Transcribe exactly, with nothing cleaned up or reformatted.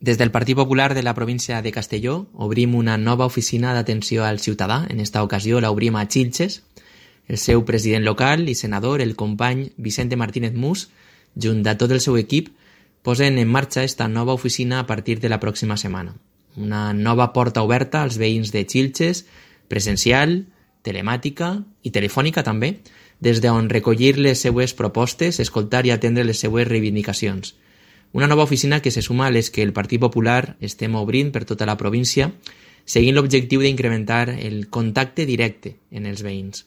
Des del Partit Popular de la província de Castelló obrim una nova oficina d'atenció al ciutadà. En esta ocasió l'obrim a Xilxes. El seu president local i senador, el company Vicente Martínez Mus, junt a tot el seu equip, posen en marxa esta nova oficina a partir de la pròxima setmana. Una nova porta oberta als veïns de Xilxes, presencial, telemàtica i telefònica també, des d'on recollir les seues propostes, escoltar i atendre les seues reivindicacions. Una nova oficina que se suma a les que el Partit Popular estem obrint per tota la província, seguint l'objectiu d'incrementar el contacte directe en els veïns.